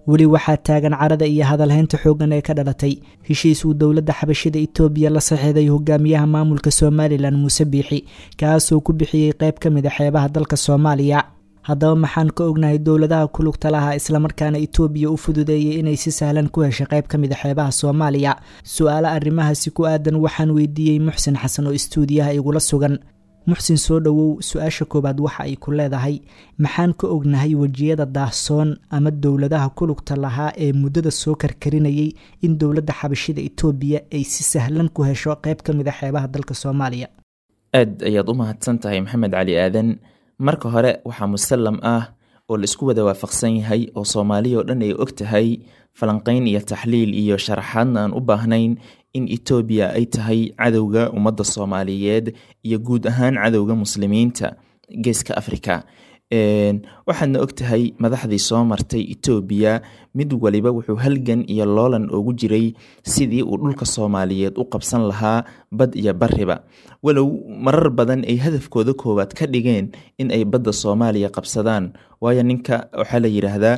Weli waxaa taagan carada iyo hadalhaynta xooggan ee ka dhalatay heshiis uu dowladda xabashida Itoobiya la saxiixday hogaamiyaha maamulka Somalilan Muuse Biixi, kaasoo ku bixiyey qayb ka mid a xeebaha dalka Soomaaliya. Haddaba maxaan ka ognahay dowladaha ku lugta lahaa islamarkaana Itoobiya u fududeeyay inay si sahlan ku heshay qayb ka mid a xeebaha Soomaaliya? Su-aalo arrimahaasi ku aadan waxaan weydiiyey Muxsin Xasan oo istuudiyaha igula sugan. Muxsin, soo dhowow. Su-aasha koowaad waxa ay ku leedahay: maxaan ka ognahay wejiyada daahsoon ama dowladaha ku lugta lahaa ee muddada soo karkarinayay in dowladda xabashida Itoobiya ay si sahlan ku hesho qayb ka mid a xeebaha dalka Soomaaliya? Aad ayaad u mahadsan tahay, Maxamed Cali Aadan. Marka hore, waxaa musallam ah oo la isku wada waafaqsan yahay oo Soomaaliya oo dhan ay og tahay, falanqayn iyo taxliil iyo sharaxaadna aan u baahnayn, in Etoobiya ay tahay cadowga ummadda Soomaaliyeed iyo guud ahaan cadowga muslimiinta geeska Afrika. Waxaadna og tahay madaxdii soo martay Etoobiya mid waliba wuxuu halgan iyo loolan ugu jiray sidii uu dhulka Soomaaliyeed u qabsan lahaa, bad iyo bariba, walow marar badan ay hadafkooda koowaad ka dhigeen in ay badda Soomaaliya qabsadaan. Waayo, ninka waxaa la yidhaahdaa,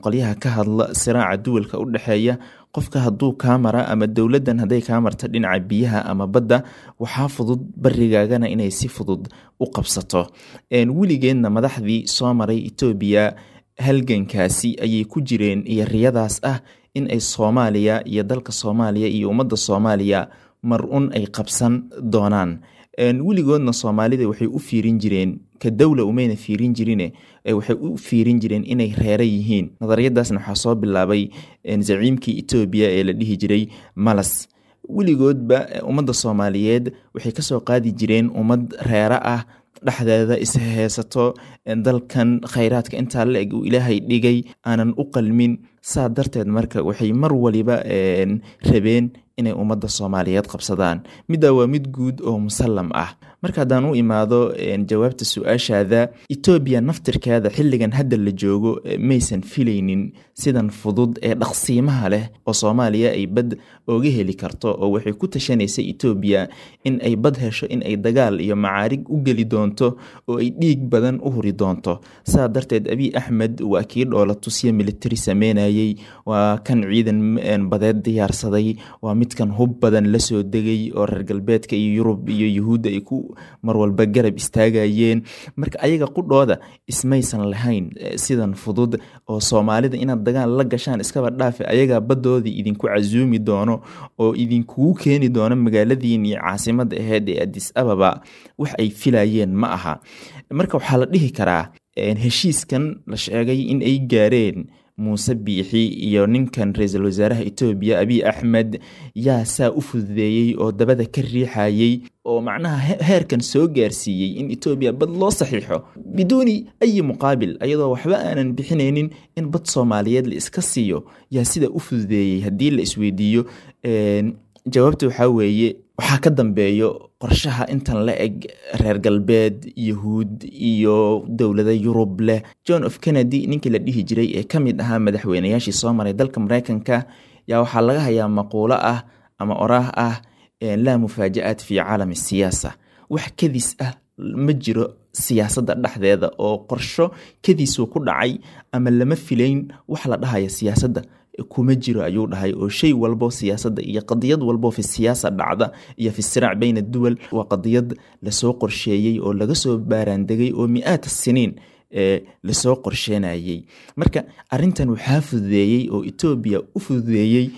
qolyaha ka hadla siraaca duwalka u dhexeeya, qofka hadduu kaa mara ama dowladdan hadday kaa marta dhinaca biyaha ama badda, waxaa fudud barigaagana inay si fudud u qabsato. Weligeedna madaxdii soo maray Etoobiya halgankaasi ayay ku jireen iyo riyadaas ah in ay Soomaaliya iyo dalka Soomaaliya iyo ummadda Soomaaliya mar un ay qabsan doonaan. Weligoodna Soomaalida waxay u fiirin jireen ka dowla, umayna fiirin jirine, waxay u fiirin jireen inay reere yihiin. Nadariyadaasna waxaa soo bilaabay zaciimkii Etoobiya ee la dhihi jiray Malas. Weligoodba ummadda Soomaaliyeed waxay kasoo qaadi jireen ummad reere ah, dhexdeeda isheysato, dalkan khayraadka intaa la eg uu Ilaahay dhigay aanan u qalmin. Saa darteed marka waxay mar waliba rabeen inay ummadda Soomaaliyeed qabsadaan. Middaa waa mid guud oo musallam ah. Marka haddaan u imaado jawaabta su-aashaada, Etoobiya naftirkeeda xilligan hadda la joogo maysan filaynin sidan fudud ee dhaqsiimaha leh oo Soomaaliya ay bad ooga heli karto, oo waxay ku tashanaysay Etoobiya in ay bad hesho in ay dagaal iyo macaarig u geli doonto oo ay dhiig badan u huri doonto. Saa darteed Abiy Axmed waa kii dhoola tusya military sameynayay, waa kan ciidan badeed diyaarsaday, waa midkan hub badan lasoo degay oo reer galbeedka iyo Yurub iyo Yuhuudda ay ku mar walba garab istaagayeen. Marka ayaga qudhooda ismaysan lahayn sidan fudud oo Soomaalida inaad dagaal la gashaan iskaba dhaafe, ayagaa badoodii idinku casuumi doono oo idinkugu keeni doono magaaladiin iyo caasimadda aheyd ee Addis Ababa. Wax ay filayeen ma aha. Marka waxaa la dhihi karaa heshiiskan la sheegay in ay gaareen Muuse Biixi iyo ninkan ra-iisul wasaaraha Etoobiya Abiy Axmed, yaa saa u fududeeyey oo dabada ka riixayey oo macnaha heerkan soo gaarsiiyey in Etoobiya bad loo saxiixo biduuni ayi muqaabil, ayadoo waxba aanan bixinaynin in bad Soomaaliyeed la iska siiyo? Yaa sida u fududeeyey haddii la isweydiiyo, jawaabta waxaa weeye waxaa ka dambeeyo qorshaha intan la eg reer galbeed, Yahuud iyo dowlada Yurub leh. John of Kennedy ninkii la dhihi jiray ee ka mid ahaa madaxweynayaashii soo maray dalka Mareykanka yaa waxaa laga hayaa maquulo ah ama oraah ah: "Laa mufaaja-aat fi caalami siyaasa", wax kadis ah ma jiro siyaasadda dhexdeeda, oo qorsho kadiisuu ku dhacay ama lama filayn wax la dhahaya siyaasadda kuma jiro, ayuu dhahay, oo shay walbo siyaasadda iyo qadiyad walbo fi siyaasa dhacda iyo fi siraac bayna duwal waa qadiyad lasoo qorsheeyey oo laga soo baaraandegay oo mi-aat siniin lasoo qorsheenayey. Marka arintan waxaa fududeeyey oo Etoobiya u fududeeyey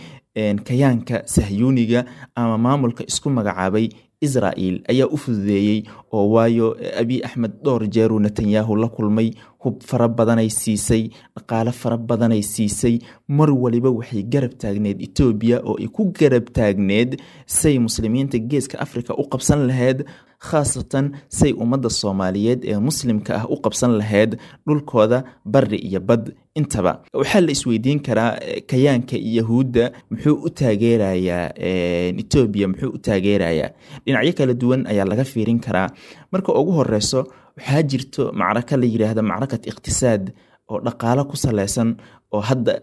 kayaanka sahyuuniga ama maamulka isku magacaabay Israel ayaa u fududeeyey, oo waayo Abiy Axmed dhowr jeeruu Netanyahu la kulmay, hub fara badanay siisay, dhaqaale fara badanay siisay. Mar waliba waxay garab taagneed Etoobiya oo ay ku garab taagneed say muslimiinta geeska Africa u qabsan lahayd, khaasatan say ummadda Soomaaliyeed ee muslimka ah u qabsan lahayd dhulkooda bari iyo bad intaba. Waxaa la isweydiin karaa, kayaanka Yahuudda muxuu u taageerayaa Etoobiya? Muxuu u taageerayaa? Dhinacyo kala duwan ayaa laga fiirin karaa. Marka ugu horeyso, waxaa jirto macraka la yiraahdo macrakat iqtisaad oo dhaqaalo ku saleysan oo hadda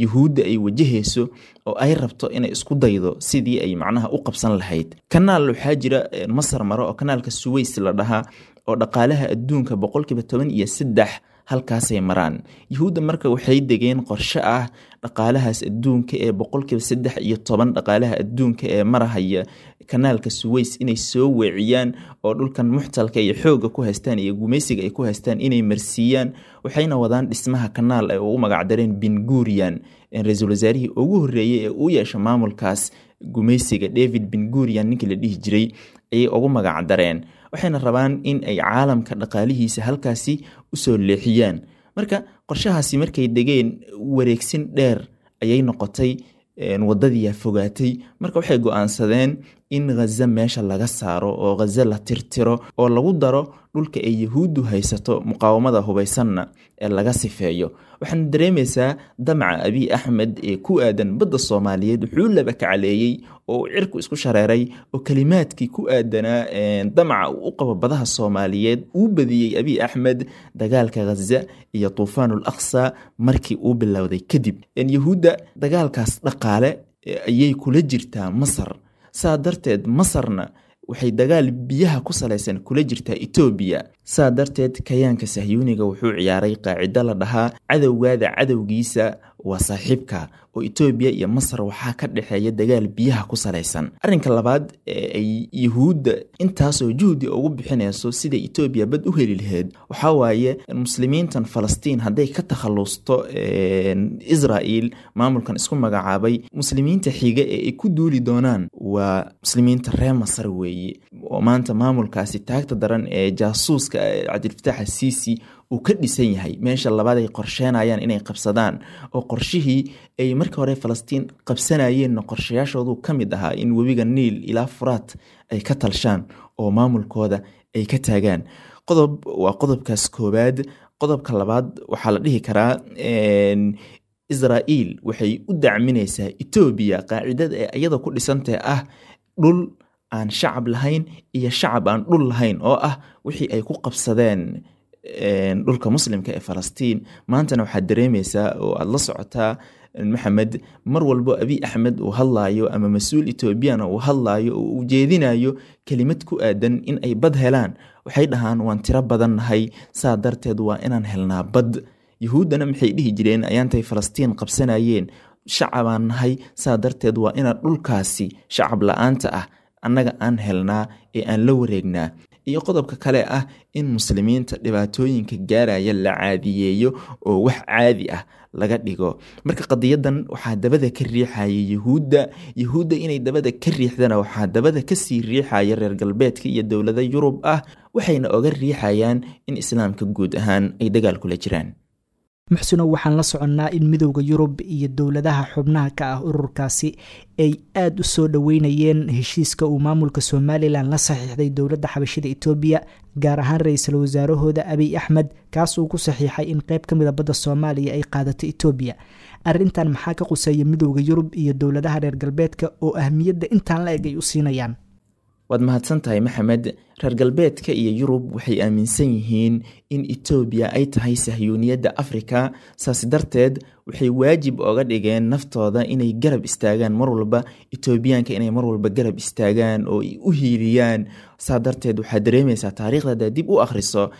Yuhuudda ay wajahayso oo ay rabto inay isku daydo sidii ay macnaha u qabsan lahayd kanaal. Waxaa jira Masar maro oo kanaalka Suways la dhahaa oo dhaqaalaha adduunka 13% halkaasay maraan. Yuhuudda marka waxay degeen qorshe ah dhaqaalahaas adduunka ee 13% dhaqaalaha adduunka ee marahaya kanaalka Suways inay soo weeciyaan oo dhulkan muxtalka iyo xoogga ku haystaan iyo gumaysiga ay ku haystaan inay marsiiyaan. Waxayna wadaan dhismaha kanaal ay ugu magacdareen Ben Gurion, ra-iisul wasaarihii ugu horreeyey ee uu yeesho maamulkaas gumaysiga, David Ben Gurion ninkii la dhihi jiray ayay ugu magacdareen. Waxayna rabaan in ay caalamka dhaqaalihiisa halkaasi usoo leexiyaan. Marka qorshahaasi markay degeen wareegsin dheer ayay noqotay, wadadiyaa fogaatay. Marka waxay go-aansadeen in Ghaza meesha laga saaro oo Ghaza la tirtiro oo lagu daro dhulka ay Yahuuddu haysato, muqaawamada hubaysanna ee laga sifeeyo. Waxaana dareemaysaa damaca Abiy Axmed ee ku aadan badda Soomaaliyeed wuxuu laba kacaleeyey oo uu cirku isku shareeray, oo kalimaadkii ku aadanaa damaca uu u qabo badaha Soomaaliyeed uu badiyey Abiy Axmed dagaalka Ghaza iyo Tuufaanul Aqsa markii uu bilowday kadib. Yahuudda dagaalkaas dhaqaale ayay kula jirtaa Masar, saa darteed Masarna waxay dagaal biyaha ku salaysan kula jirtaa Itoobiya. Saa darteed kayaanka sahyuuniga wuxuu ciyaaray qaacido la dhahaa cadowgaada cadowgiisa waa saaxiibka, oo Itoobiya iyo Masar waxaa ka dhexeeya dagaal biyaha ku salaysan. Arrinka labaad ee ay Yuhuudda intaasoo juhdi ugu bixinayso sida Itoobiya bad u heli lahayd waxaa waaye muslimiintan Falastiin hadday ka takhalusto Israa'iil, maamulkan isku magacaabay, muslimiinta xiga ee ay ku duuli doonaan waa muslimiinta reer Masar weeye, oo maanta maamulkaasi taagta daran ee jaasuuska Cabdilfataax Asiisi uu ka dhisan yahay. Meesha labaad ay qorsheenayaan inay qabsadaan, oo qorshihii ay markii hore Falastiin qabsanayeenna qorshayaashoodu ka mid ahaa in webiga Niil ilaa Furaat ay ka talshaan oo maamulkooda ay ka taagaan. Qodob waa qodobkaas koowaad. Qodobka labaad waxaa la dhihi karaa Israa'iil waxay u dacminaysaa Itoobiya qaacidada ee iyada ku dhisantahay ah dhul aan shacab lahayn iyo shacab aan dhul lahayn, oo ah wixii ay ku qabsadeen dhulka muslimka ee Falastiin. Maantana waxaad dareemaysaa oo aada la socotaa Maxamed, mar walbo Abiy Axmed uu hadlaayo ama mas-uul Etoobiyana uu hadlaayo oo uu jeedinayo kelimad ku aadan in ay bad helaan, waxay dhahaan waan tiro badannahay, saa darteed waa inaan helnaa bad. Yuhuuddana maxay dhihi jireen ayaantay Falastiin qabsanayeen? Shacabaan nahay, saa darteed waa inaan dhulkaasi shacab la-aanta ah annaga aan helnaa ee aan la wareegnaa. Iyo qodobka kale ah in muslimiinta dhibaatooyinka gaaraya la caadiyeeyo oo wax caadi ah laga dhigo. Marka qadiyadan waxaa dabada ka riixaya Yuhuudda. Yuhuudda inay dabada ka riixdana waxaa dabada kasii riixaya reer galbeedka iyo dowlada Yurub ah, waxayna oga riixayaan in islaamka guud ahaan ay dagaal kula jiraan. Muxsinow, waxaan la soconnaa in midowda Yurub iyo dowladaha xubnaha ka ah ururkaasi ay aada u soo dhoweynayeen heshiiska uu maamulka Somalilan la saxiixday dowladda xabashida Itoobiya, gaar ahaan ra-iisul wasaarahooda Abiy Axmed, kaas uu ku saxiixay in qeyb ka mida badda Soomaaliya ay qaadato Itoobiya. Arrintan maxaa ka quseeya midowda Yurub iyo dowladaha reer galbeedka oo ahmiyadda intaan la eg ay u siinayaan? Waad mahadsan tahay Maxamed. Reer galbeedka iyo Yurub waxay aaminsan yihiin in Itoobiya ay tahay sahyuuniyadda Afrika, saas darteed waxay waajib oga dhigeen naftooda inay garab istaagaan mar walba Itoobiyaanka, inay mar walba garab istaagaan oo ay u hiiliyaan. Saa darteed waxaad dareemaysaa taariikhda haddaad dib u akhriso,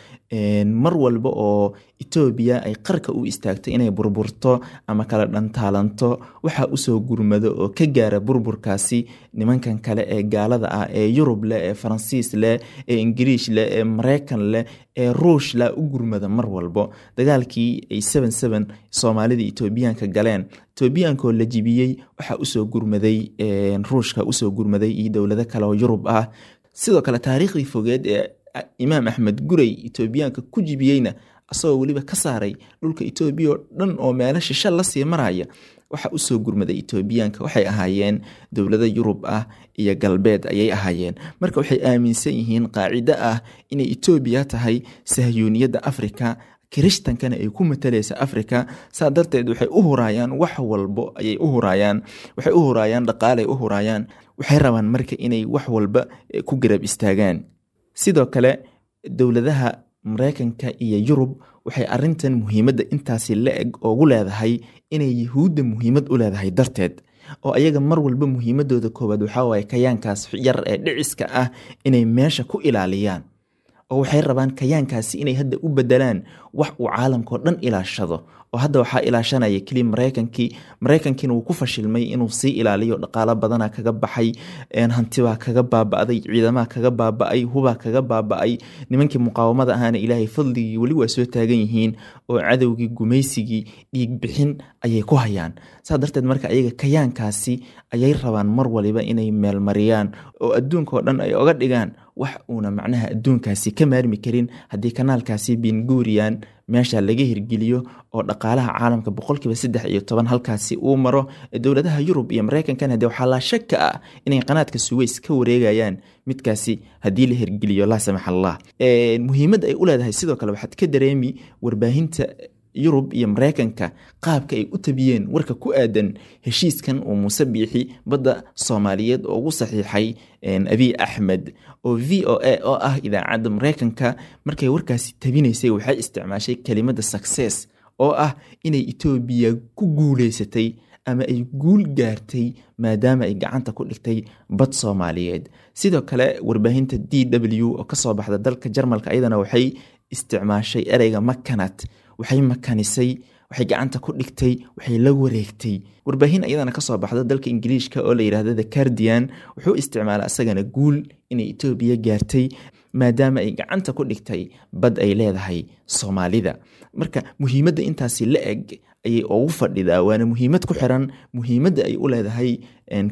mar walba oo Itoobiya ay qarka u istaagto inay burburto ama kala dhantaalanto, waxaa usoo gurmado oo ka gaara burburkaasi nimankan kale ee gaalada ah ee Yurub leh, ee Faransiis leh, ee Ingiriish leh, ee Mareykan leh, ee Ruush leh u gurmada mar walbo. Dagaalkii ay 7-7 Soomaalida Itoobiyaanka galeen, Itoobiyaankaoo la jibiyey, waxaa usoo gurmaday Ruushka, usoo gurmaday iyo dowlado kale oo Yurub ah. Sidoo kale taariikhdii fogeed ee Imaam Axmed Gurey Itoobiyaanka ku jibiyeyna, asagoo weliba ka saaray dhulka Itoobiya oo dhan oo meelo shisha lasii maraya, waxa usoo gurmaday Itoobiyaanka waxay ahaayeen dowlado Yurub ah iyo galbeed ayay ahaayeen. Marka waxay aaminsan yihiin qaacido ah inay Itoobiya tahay sahyuuniyadda Afrika, kirishtankana ay ku matalaysa Afrika. Saa darteed waxay u huraayaan wax walbo ayay u huraayaan, waxay u huraayaan dhaqaalay u huraayaan, waxay rabaan marka inay wax walba ku garab istaagaan. Sidoo kale dowladaha Mareykanka iyo Yurub waxay arintan muhiimadda intaasi la eg ugu leedahay inay Yuhuudda muhiimad u leedahay darteed, oo ayaga mar walba muhiimadooda koowaad waxaa waaye kayaankaas yar ee dhiciska ah inay meesha ku ilaaliyaan. oo waxay rabaan kayaankaasi inay hadda u bedelaan wax uu caalamkao dhan ilaashado. Oo hadda waxaa ilaashanaya keliya Maraykankii. Maraykankiina wuu ku fashilmay inuu sii ilaaliyo, dhaqaalo badana kaga baxay, hantibaa kaga baaba'day, ciidamaha kaga baaba'ay, hubaa kaga baaba'ay. Nimankii muqaawamada ahaana Ilaahay fadligii weli waa soo taagan yihiin, oo cadowgii gumaysigii dhiig bixin ayay ku hayaan. Saa darteed marka ayaga kayaankaasi ayay rabaan mar waliba inay meelmariyaan, oo adduunka oo dhan ay oga dhigaan wax uuna macnaha adduunkaasi ka maarmi karin haddii kanaalkaasi Bingurian meesha laga hirgeliyo, oo dhaqaalaha caalamka 13% halkaasi uu maro. Dowladaha Yurub iyo Mareykankan hadee waxaa laa shaka ah inay qanaadka Suweys ka wareegayaan midkaasi haddii la hirgeliyo, laa samax Allah. Muhiimadda ay u leedahay sidoo kale waxaad ka dareemi warbaahinta Yurub iyo Mareykanka qaabka ay u tabiyeen warka ku aadan heshiiskan uu Muuse Biixi badda Soomaaliyeed oo ugu saxiixay Abiy Axmed. Oo VOA oo ah idaacadda Mareykanka markay warkaasi tabinaysay waxay isticmaashay kelimadda success, oo ah inay Itoobiya ku guuleysatay ama ay guul gaartay maadaama ay gacanta ku dhigtay bad Soomaaliyeed. Sidoo kale warbaahinta DW oo kasoo baxda dalka Jarmalka ayadana waxay isticmaashay ereyga makanat, waxay makanisay, waxay gacanta ku dhigtay, waxay la wareegtay. Warbaahin ayadana kasoo baxda dalka Ingiliishka oo la yidhaahdo The Guardian wuxuu isticmaalay asagana guul inay Itoobiya gaartay maadaama ay gacanta ku dhigtay bad ay leedahay Soomaalida. Marka muhiimadda intaasi la eg ayay ugu fadhidaa, waana muhiimad ku xiran muhiimadda ay u leedahay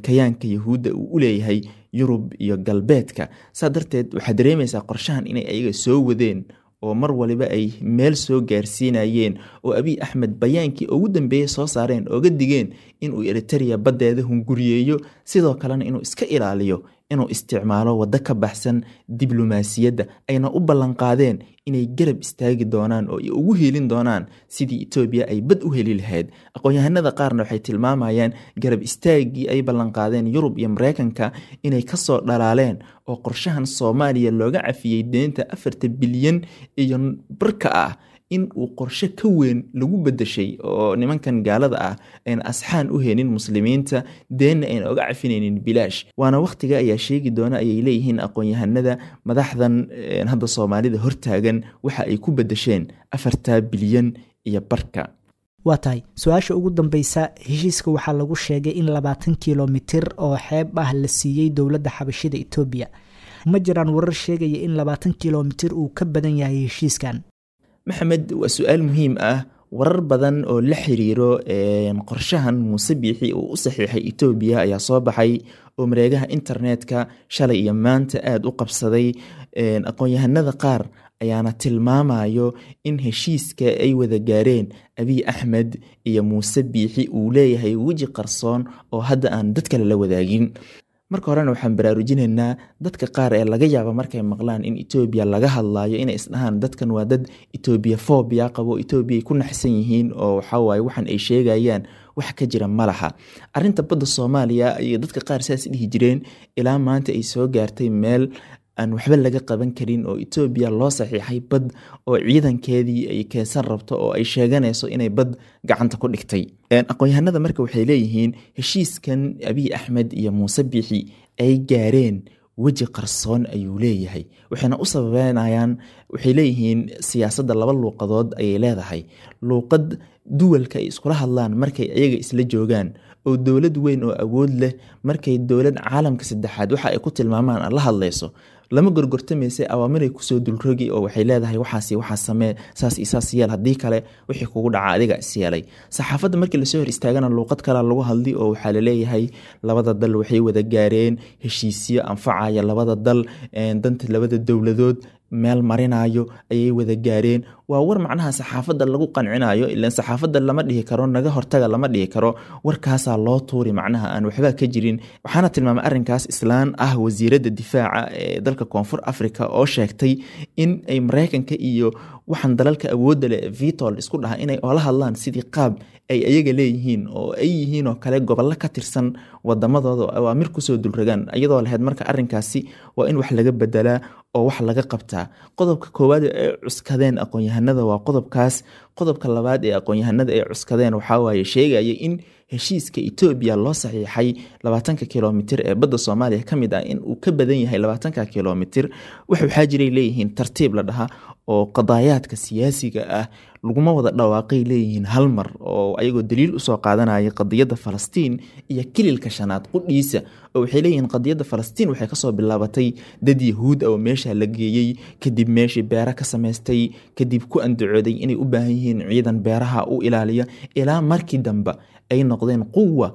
kayaanka Yahuudda uu u leeyahay Yurub iyo galbeedka. Saa darteed waxaad dareemaysaa qorshahan inay ayaga soo wadeen, oo mar waliba ay meel soo gaarsiinayeen, oo Abiy Axmed bayaankii ugu dambeeyey soo saareen ooga digeen inuu Eritrea baddeeda hunguriyeeyo, sidoo kalena inuu iska ilaaliyo inuu isticmaalo waddo ka baxsan diblomaasiyadda, ayna u ballanqaadeen inay garab istaagi doonaan oo ay ugu hiilin doonaan sidii Itoobiya ay bad u heli lahayd. Aqoon-yahanada qaarna waxay tilmaamayaan garab istaaggii ay ballanqaadeen Yurub iyo Mareykanka inay kasoo dhalaaleen, oo qorshahan Soomaaliya looga cafiyey deynta 4 bilyan iyo barka ah in uu qorshe ka weyn lagu bedeshay, oo nimankan gaalada ah ayna asxaan u helin muslimiinta, deenna ayna oga cafinaynin bilaash. Waana wakhtiga ayaa sheegi doona ayay leeyihiin aqoon-yahanada madaxdan hadda Soomaalida hortaagan waxa ay ku bedesheen 4 bilyan iyo barka. Waa tahay su-aasha ugu dambeysa. Heshiiska waxaa lagu sheegay in 20 kilomitir oo xeeb ah la siiyey dowladda xabashida Itoobiya. Ma jiraan warar sheegaya in 20 kilomitir uu ka badan yahay heshiiskan? Maxamed, waa su-aal muhiim ah. Warar badan oo la xiriiro qorshahan Muuse Biixi uu u saxiixay Itoobiya ayaa soo baxay, oo mareegaha internetka shalay iyo maanta aada u qabsaday. Aqoon-yahanada qaar ayaana tilmaamayo in heshiiska ay wada gaareen Abiy Axmed iyo Muuse Biixi uu leeyahay weji qarsoon oo hadda aan dad kale la wadaagin. Marka horena waxaan baraarujinaynaa dadka qaar ee laga yaabo markay maqlaan in Itoobiya laga hadlaayo inay isdhahaan dadkan waa dad Itoobiya phobia qabo, Itoobiya ay ku naxsan yihiin, oo waxaa waaye waxan ay sheegayaan wax ka jira ma laha. Arrinta badda Soomaaliya ayay dadka qaar saas dhihi jireen ilaa maanta ay soo gaartay meel aan waxba laga qaban karin, oo Itoobiya loo saxiixay bad oo ciidankeedii ay keensan rabto, oo ay sheeganayso inay bad gacanta ku dhigtay. Aqoon-yahanada marka waxay leeyihiin heshiiskan Abiy Axmed iyo Muuse Biixi ay gaareen weji qarsoon ayuu leeyahay, waxayna u sababeynayaan, waxay leeyihiin siyaasadda laba luuqadood ayay leedahay. Luuqad duwalka ay iskula hadlaan markay iyaga isla joogaan, oo dowlad weyn oo awood leh markay dowlad caalamka saddexaad waxa ay ku tilmaamaan la hadlayso, lama gorgortamaysa, awaamiray kusoo dulrogi, oo waxay leedahay waxaas waxaa samee, saas iyo saas yeel, haddii kale wixii kugu dhaca adiga is yeelay. Saxaafadda markii lasoo hor istaagana luuqad kalea lagu hadli, oo waxaa laleeyahay labada dal waxay wada gaareen heshiisyo anfacaya labada dal, danta labada dowladood meel marinayo ayay wada gaareen. Waa war macnaha saxaafadda lagu qancinayo, ilaan saxaafadda lama dhihi karo naga hortaga, lama dhihi karo, warkaasaa loo tuuri macnaha aan waxba ka jirin. Waxaana tilmaamay arrinkaas islaan ah wasiiradda difaaca ee dalka Koonfur Africa oo sheegtay in ay Mareykanka iyo Waxaan dalalka awoodda leh vitol isku dhaha inay oola hadlaan sidii qaab ay ayaga leeyihiin oo ay yihiin oo kale gobollo ka tirsan wadamadooda oo awaamir kusoo dulrogaan iyadoo lahayd. Marka arrinkaasi waa in wax laga bedelaa oo wax laga qabtaa. Qodobka koowaad ee cuskadeen aqoon-yahanada waa qodobkaas. Qodobka labaad ee aqoon-yahanada ay cuskadeen waxaa waaye sheegaya in heshiiska Etoobiya loo saxiixay 20-ka kilomitir ee badda Soomaaliya ka mid ah in uu ka badan yahay 20-ka kilomitir. Waxaa jiray leeyihiin tartiib la dhaha oo qadaayaadka siyaasiga ah laguma wada dhawaaqay leeyihiin hal mar, oo ayagoo daliil usoo qaadanaya qadiyadda Falastiin iyo kililka shanaad qudhiisa, oo waxay leeyihiin qadiyadda Falastiin waxay kasoo bilaabatay dad Yahuud ah oo meesha la geeyey, kadib meeshii beera ka samaystay, kadib ku andacooday inay u baahan yihiin ciidan beeraha u ilaaliya, ilaa markii dambe ay noqdeen quwa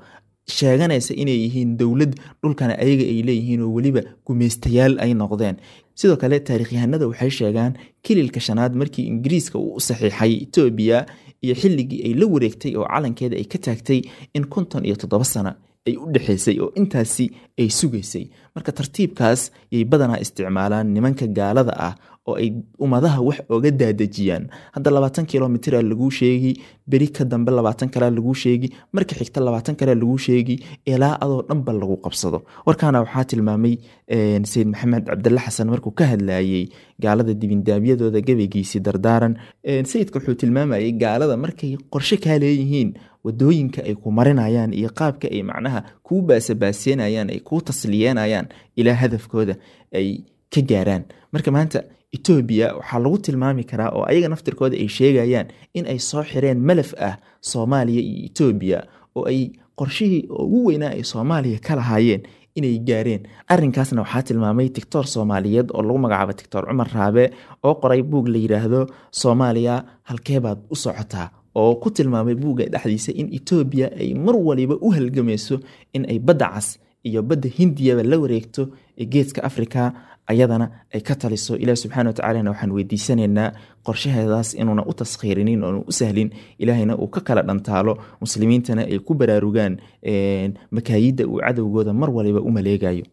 sheeganaysa inay yihiin dowlad dhulkana ayaga ay leeyihiin oo weliba gumaystayaal ay noqdeen. Sidoo kale taariikhyahanada waxay sheegaan kililka shanaad markii Ingiriiska uu u saxiixay Etoobiya iyo xilligii ay la wareegtay oo calankeeda ay ka taagtay in 57 sano ay u dhexaysay oo intaasi ay sugaysay. Marka tartiibkaas yay badanaa isticmaalaan nimanka gaalada ah oo ay ummadaha wax oga daadejiyaan. Hadda 20 kilomitira laguu sheegi, beri ka dambe 20 kalea laguu sheegi, marka xigta 20 kalea laguu sheegi, ilaa adoo dhanba lagu qabsado. Warkaana waxaa tilmaamay Sayid Maxamed Cabdille Xasan markuu ka hadlayey gaalada dibindaabyadooda gabaygiisii Dardaaran. Sayidka wuxuu tilmaamayay gaalada markay qorshe kaa leeyihiin wadooyinka ay ku marinayaan iyo qaabka ay macnaha kuu baasabaaseenayaan, ay kuu tasliyeenayaan ilaa hadafkooda ay ka gaaraan. Marka maanta Etoobiya waxaa lagu tilmaami karaa oo ayaga naftirkooda ay sheegayaan in ay soo xireen malaf ah Soomaaliya iyo Etoobiya, oo ay qorshihii ugu weynaa ay Soomaaliya ka lahaayeen inay gaareen. Arrinkaasna waxaa tilmaamay tictor Soomaaliyeed oo lagu magacaabo Tictor Cumar Raabe oo qoray buug la yidhaahdo Soomaaliya halkee baad u socotaa, oo ku tilmaamay buugga dhexdiisa in Etoobiya ay mar waliba u halgamayso in ay badda cas iyo badda Hindiyaba la wareegto ee geeska Afrika, ayadana ay ka taliso. Ilaah subxana watacaalana waxaan weydiisanaynaa qorshaheedaas inuuna u taskhiirinin oonu u sahlin, Ilaahayna uu ka kala dhantaalo, muslimiintana ay ku baraarugaan makaayidda uu cadowgooda mar waliba u maleegayo.